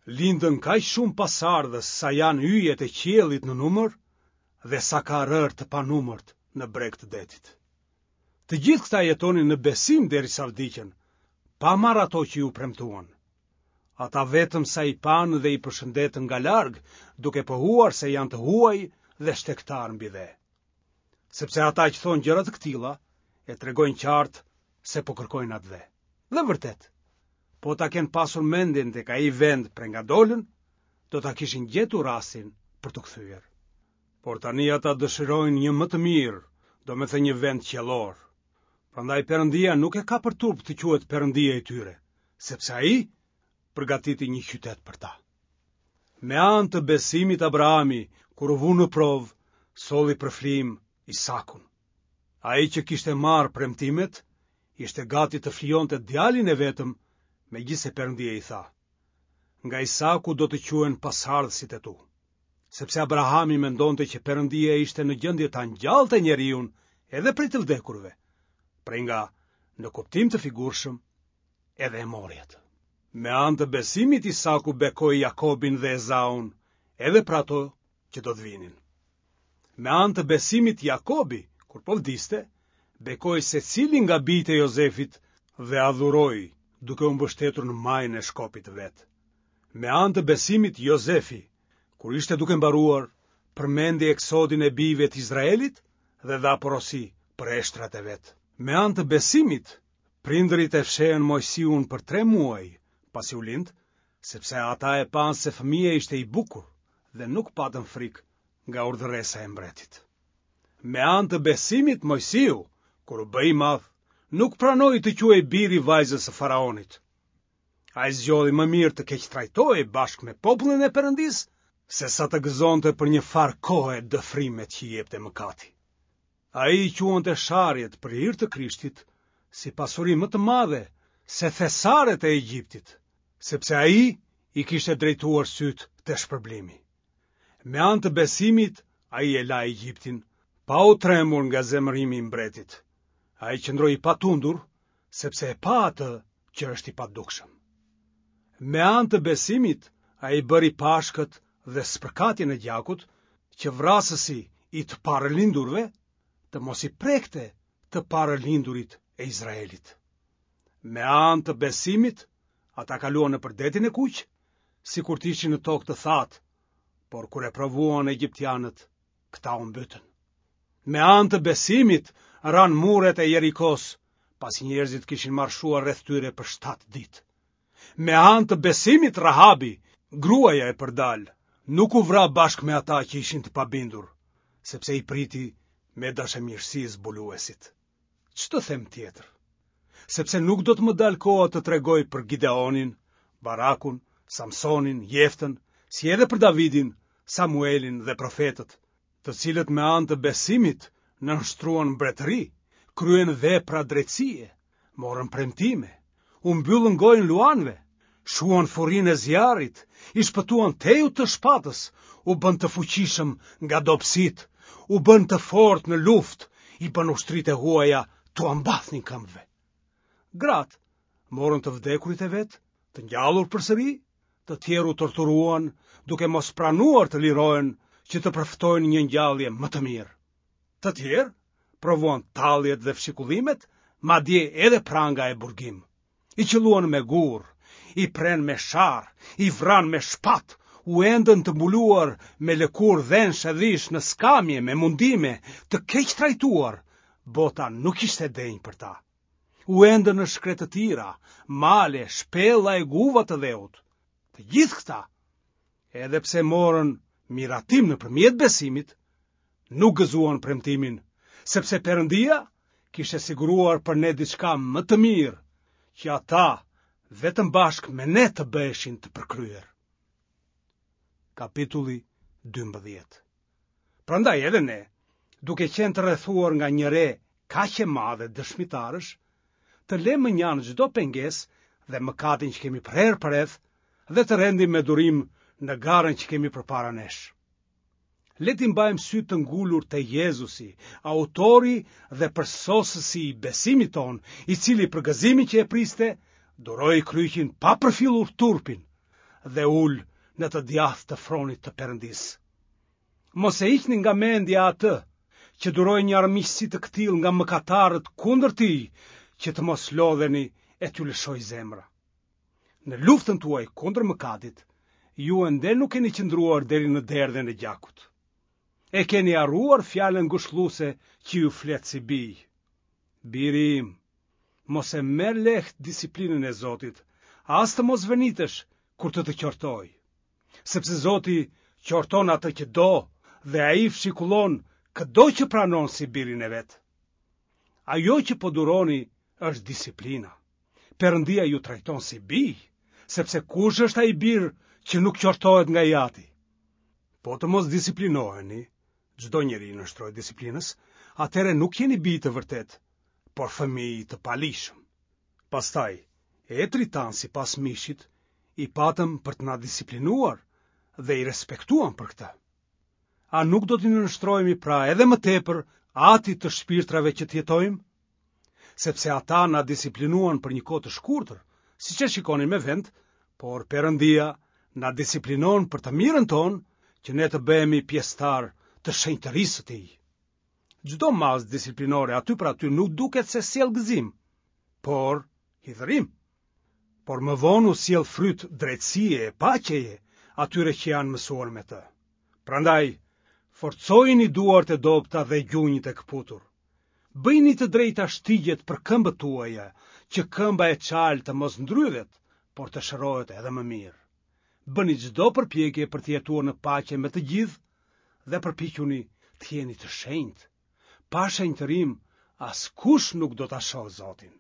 lindën kaq shumë pasardhës sa janë yjet e qiellit në numër dhe sa ka rërë të panumërt në breg të detit. Të gjithë këta jetonin në besim derisa vdiqën, pa marrë ato që iu premtuan. Ata vetëm sa i panë dhe i përshëndetën nga larg, duke pohuar se janë të huaj dhe shtegtarë mbi dhe. Sepse ata që thonë gjëra të këtilla, e tregojnë qartë se po kërkojnë atdhe. Dhe vërtet, po ta kenë pasur mendjen tek ai vend prej nga dolën, do ta kishin gjetur rastin për t'u kthyer. Por tani ata dëshirojnë një më të mirë, domethënë një vend qiellor. Prandaj Perëndia nuk e ka për turp të quhet Perëndia i tyre, sepse ai përgatiti një qytet për ta. Me anë të besimit Abrahami, kur u vu në provë, solli për flijim Isakun. Ai që kishte marrë premtimet, ishte gati të flijonte djalin e vetëm, megjithëse Perëndia i tha: Nga Isaku do të quhen pasardhësit e tu. Sepse Abrahami mendonte që Perëndia ishte në gjendje ta ngjallte njeriun edhe prej të vdekurve, prej nga, në kuptim të figurshëm, edhe e mori atë. Me anë të besimit Isaku bekoi Jakobin dhe Ezaun, edhe për ato që do të vinin. Me anë të besimit Jakobi, kur po vdiste, bekoi secilin nga bijtë e Jozefit dhe adhuroi, duke u mbështetur në majën e shkopit të vet. Me anë të besimit Jozefi, kur ishte duke mbaruar, përmendi eksodin e bijve të Izraelit dhe dha porosi për eshtrat e vet. Me anë të besimit, prindërit e fshehën Moisiun për tre muaj, pasi u lind, sepse ata e panë se fëmija ishte i bukur dhe nuk patën frikë nga urdhëresa e mbretit. Me anë të besimit Moisiu, kur u bë i madh, nuk pranoi të quhej biri i vajzës së faraonit. Ai zgjodhi më mirë të keqtrajtohej bashkë me popullin e Perëndisë, se sa të gëzonte për një farë kohe dëfrimet që i jepte mëkati. Ai i quante sharjet për hir të Krishtit si pasuri më të madhe se thesaret e Egjiptit, sepse ai i kishte drejtuar sytë te shpërblimi. Me anë të besimit ai e la Egjiptin, pa u trembur nga zemërimi i mbretit. Ai qëndroi i patundur, sepse e pa atë që është i padukshëm. Me anë të besimit ai bëri Pashkët dhe spërkatjen e gjakut, që vrasësi i të parëlindurve të mos i prekte të parëlindurit e Izraelit. Me anë të besimit, ata kaluan nëpër detin e kuq, sikur të ishin në tokë të thatë, por kur e provuan egjiptianët, këta u mbytën. Me anë të besimit ranë muret e Jerikos, pasi njerëzit kishin marshuar rreth tyre për shtatë ditë. Me anë të besimit Rahabi, gruaja e përdalë, nuk u vra bashkë me ata që ishin të pabindur, sepse i priti me dashamirësi zbuluesit. Ç'të them tjetër? Sepse nuk do të më dalë koha të tregoj për Gideonin, Barakun, Samsonin, Jeftën, si edhe për Davidin, Samuelin dhe profetët, të cilët me anë të besimit nënshtruan mbretëri, kryen vepra drejtësie, morën premtime, u mbyllën gojën luanëve, shuan furinë e zjarrit, i shpëtuan tehut të shpatës, u bënë të fuqishëm nga dobësitë, u bënë të fortë në luftë, i bënë ushtritë e huaja t'ua mbathnin këmbëve. Gratë morën të vdekurit e vet, të ngjallur përsëri, të tjerë u torturuan, duke mos pranuar të lirohen që të përfitojnë një ngjallje më të mirë. Të tjerë provuan talljet dhe fshikullimet, madje edhe pranga e burgim. I qëlluan me gur, i prenë me sharrë, i vranë me shpatë, u endën të mbuluar me lëkurë dhensh e dhish në skamje me mundime, të keqtrajtuar, bota nuk ishte e denjë për ta. U endën në shkretëtira, male, shpella e guva të dheut. Të gjithë këta, edhe pse morën miratim nëpërmjet besimit, nuk gëzuan premtimin, sepse Perëndia kishte siguruar për ne diçka më të mirë, që ata vetëm bashkë me ne të bëheshin të përkryer. Kapitulli dymbëdhjetë. Prandaj edhe ne, duke qenë të rrethuar nga një re kaq e madhe dëshmitarësh, të lëmë mënjanë çdo pengesë dhe mëkatin që kemi prerë përreth dhe të rendim me durim në garën që kemi përpara nesh. Le t'i mbajmë sytë të ngulur te Jezusi, autori dhe përsosësi i besimit tonë, i cili për gëzimin që e priste, duroi kryqin pa përfillur turpin dhe u ul në të djathtë të fronit të Perëndisë. Mos e hiqni nga mendja atë që duroi një armiqësi të këtillë nga mëkatarët kundër tij, që të mos lodheni e t'ju lëshojë zemra. Në luftën tuaj kundër mëkatit, ju ende nuk keni qëndruar deri në derdhjen e gjakut. E keni harruar fjalën ngushëlluese që ju flet si bij. Biri im, mos e merr lehtë disiplinën e Zotit, as të mos vërnitesh kur të të qortojë. Sepse Zoti qorton atë që do dhe ai fshikullon këdo që pranon si birin e vet. Ajo që po duroni është disiplina. Perëndia ju trajton si bij, sepse kush është ai bir që nuk qortohet nga i ati? Po të mos disiplinoheni, çdo njeri i nënshtrohet disiplinës, atëherë nuk jeni bij të vërtetë, por fëmijë të paligjshëm. Pastaj, etërit tanë sipas mishit i patëm për të na disiplinuar dhe i respektuam për këtë. A nuk do t'i nënshtrohemi pra edhe më tepër atit të shpirtrave që të jetojmë? Sepse ata na disiplinuan për një kohë të shkurtër, siç e shikonin me vend, por Perëndia na disiplinon për të mirën tonë, që ne të bëhemi pjesëtar të shenjtërisë së tij. Çdo masë disiplinore aty për aty nuk duket se sjell gëzim, por hidhërim. Por më vonë u sjell fryt drejtësie e paqeje atyre që janë mësuar me të. Prandaj, forcojini duart e dobëta dhe gjunjët e këputur. Bëjini të drejta shtigjet për këmbët tuaja, që këmba e çalë të mos ndrydhet, por të shërohet edhe më mirë. Bëni çdo përpjekje për të jetuar në paqe me të gjithë dhe përpiquni të jeni të shenjtë. Pa shenjtërim, askush nuk do ta shohë Zotin.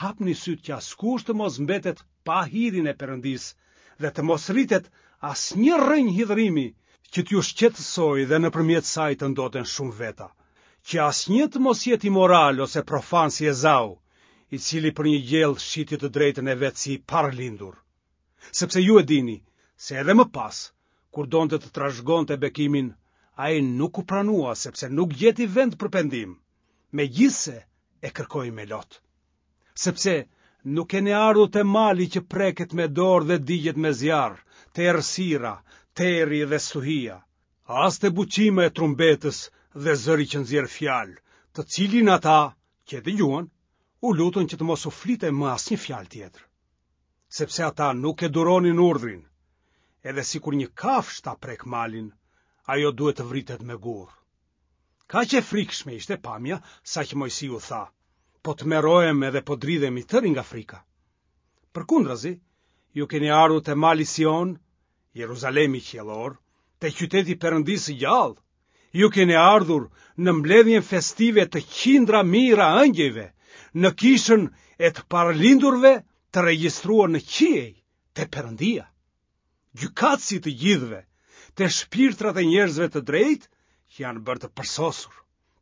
Hapni sytë që askush të mos mbetet pa hirin e Perëndisë dhe të mos rritet asnjë rrënjë hidhërimi që t'ju shqetësojë dhe nëpërmjet saj të ndoten shumë veta, që asnjë të mos jetë imoral ose profan si Ezau, i cili për një gjellë shiti të drejtën e vet si i parëlindur. Sepse ju e dini se edhe më pas, kur donte të trashëgonte bekimin, ai nuk u pranua sepse nuk gjeti vend për pendim, megjithëse e kërkoi me lot. Sepse nuk keni ardhur te mali që preket me dorë dhe digjet me zjarr, te errësira, terri dhe stuhia, as te buçima e trumbetës dhe zëri që nxjerr fjalë, të cilin ata që e dëgjuan, u lutën që të mos u flite më asnjë fjalë tjetër. Sepse ata nuk e duronin urdhrin, edhe sikur një kafshë ta prek malin, ajo duhet të vritet me gur. Kaq e frikshme ishte pamja, saqë Moisiu tha, po tmerrohem edhe po dridhem i tëri nga frika. Përkundrazi, ju keni ardhur te mali Sion, Jeruzalemi qiellor, te qyteti i Perëndisë së gjallë. Ju keni ardhur në mbledhjen festive të qindra mijëra ëngjëjve, në kishën e të paralindurve të regjistruar në qiej, te Perëndia. Gjykatësi i të gjithëve, te shpirtrat e njerëzve të drejtë që janë bërë të përsosur,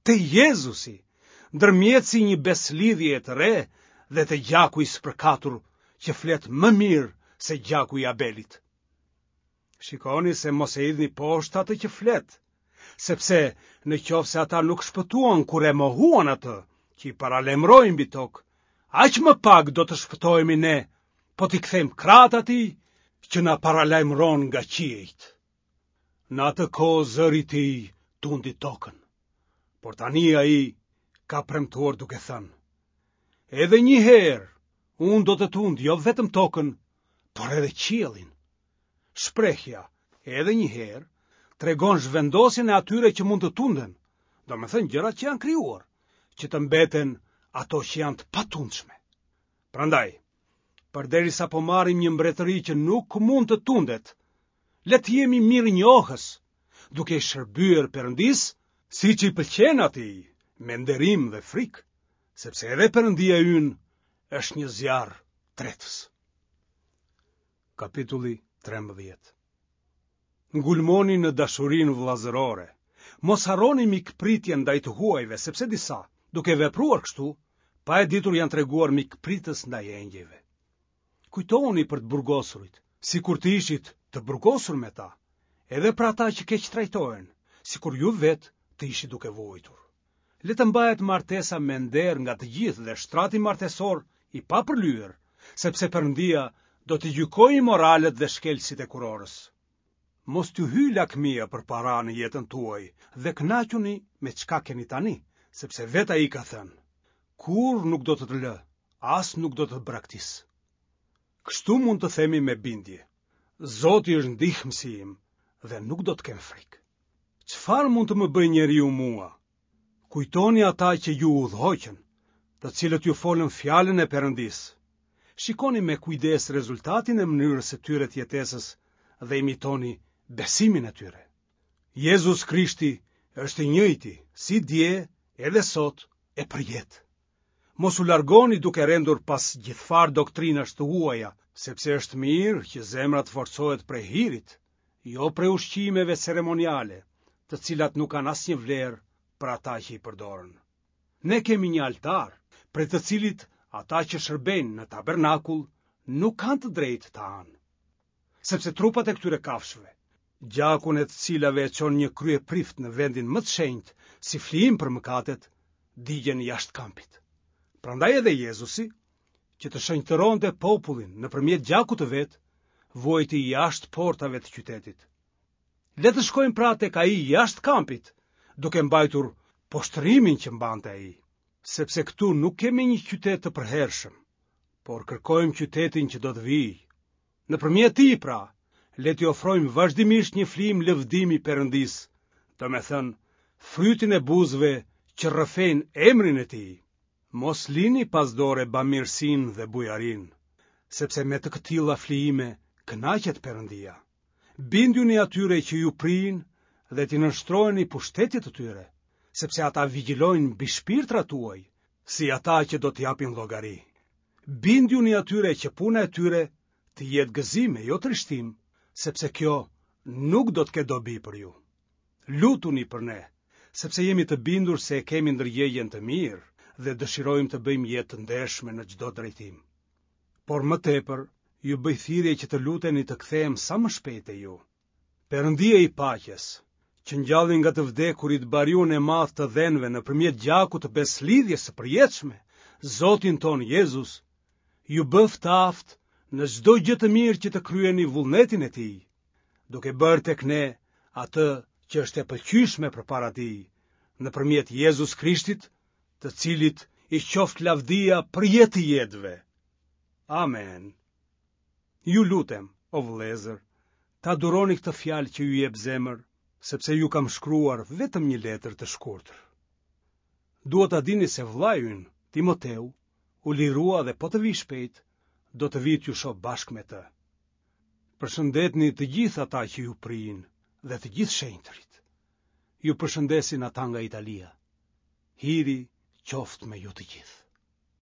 te Jezusi, ndërmjetësi i një besëlidhjeje të re dhe te gjaku i spërkatur që flet më mirë se gjaku i Abelit. Shikoni se mos e hidhni poshtë atë që flet, sepse në qoftë se ata nuk shpëtuan kur e mohuan atë që i paralajmëroi mbi tokë, aq më pak do të shpëtohemi ne, po t'i kthejmë krahët atij që na paralajmëron nga qiejt. Në atë kohë zëri i tij tundi tokën, por tani ai ka premtuar duke thënë: Edhe një herë unë do të tund jo vetëm tokën, por edhe qiellin. Shprehja edhe një herë tregon zhvendosjen e atyre që mund të tunden, domethënë gjërat që janë krijuar, që të mbeten ato që janë të patundshme. Prandaj, përderisa po marrim një mbretëri që nuk mund të tundet, le të jemi mirënjohës, duke i shërbyer Perëndisë, siç i pëlqen atij, me nderim dhe frikë, sepse edhe Perëndia ynë është një zjarr tretës. Kapitulli trembëdhjetë. Ngulmoni në dashurinë vëllazërore. Mos harroni mikpritjen ndaj të huajve, sepse disa, duke vepruar kështu, pa e ditur janë treguar mikpritës ndaj engjëjve. Kujtohuni për të burgosurit, sikur të ishit të burgosur me ta, edhe për ata që keqtrajtohen, sikur ju vetë të ishit duke vuajtur. Le të mbahet martesa me nder nga të gjithë dhe shtrati martesor i papërlyer, sepse Perëndia do t'i gjykojë imoralët dhe shkelësit e kurorës. Mos t'ju hyjë lakmia për para në jetën tuaj dhe kënaquni me çka keni tani, sepse vetë ai ka thënë: Kurrë nuk do të të lë, as nuk do të të braktis. Kështu mund të themi me bindje: Zoti është ndihmësi im dhe nuk do të kem frikë. Çfarë mund të më bëjë njeriu mua? Kujtoni ata që ju udhëhoqën, të cilët ju folën fjalën e Perëndisë. Shikoni me kujdes rezultatin e mënyrës së tyre të jetesës dhe imitoni besimin e tyre. Jezus Krishti është i njëjti, si dje, edhe sot e përjetë. Mos u largoni duke rendur pas gjithfarë doktrinash të huaja, sepse është mirë që zemra të forcohet prej hirit, jo prej ushqimeve ceremoniale, të cilat nuk kanë asnjë vlerë për ata që i përdorën. Ne kemi një altar, prej të cilit ata që shërbejnë në tabernakull nuk kanë të drejtë të hanë. Sepse trupat e këtyre kafshëve, gjakun e të cilave e çon një kryeprift në vendin më të shenjtë si flijim për mëkatet, digjen jashtë kampit. Prandaj edhe Jezusi, që të shenjtëronte popullin nëpërmjet gjakut të vet, vuajti jashtë portave të qytetit. Le të shkojmë pra tek ai jashtë kampit, duke mbajtur poshtërimin që mbante ai, sepse këtu nuk kemi një qytet të përhershëm, por kërkojmë qytetin që do të vijë. Nëpërmjet tij pra, le t'i ofrojmë vazhdimisht një flijim lëvdimi Perëndisë, domethënë, frytin e buzëve që rrëfejnë emrin e tij. Mos lini pas dore bamirësinë dhe bujarinë, sepse me të këtilla flijime kënaqet Perëndia. Bindjuni atyre që ju prijnë dhe t'i nënshtroheni pushtetit të tyre, sepse ata vigjilojnë mbi shpirtrat tuaj, si ata që do të japin llogari. Bindjuni atyre që puna e tyre të jetë gëzim e jo trishtim, sepse kjo nuk do të ketë dobi për ju. Lutuni për ne, sepse jemi të bindur se e kemi ndërgjegjen të mirë dhe dëshirojmë të bëjmë jetë të ndershme në çdo drejtim. Por më tepër, ju bëj thirrje që të luteni të kthehem sa më shpejt te ju. Perëndia i paqes, që ngjalli nga të vdekurit bariun e madh të dhenve nëpërmjet gjakut të besëlidhjes së përjetshme, Zotin tonë Jezus, ju bëftë të aftë në çdo gjë të mirë që të kryeni vullnetin e tij, duke bërë tek ne atë që është e pëlqyeshme përpara tij, nëpërmjet Jezus Krishtit, të cilit i qoftë lavdia për jetë të jetëve. Amen. Ju lutem, o vëllezër, ta duroni këtë fjalë që ju jep zemër, sepse ju kam shkruar vetëm një letër të shkurtër. Dua ta dini se vëllai ynë, Timoteu, u lirua dhe po të vijë shpejt, do të vijë t'ju shoh bashkë me të. Përshëndetni të gjithë ata që ju prijnë dhe të gjithë shenjtërit. Ju përshëndesin ata nga Italia. Hiri qoftë me ju të gjithë.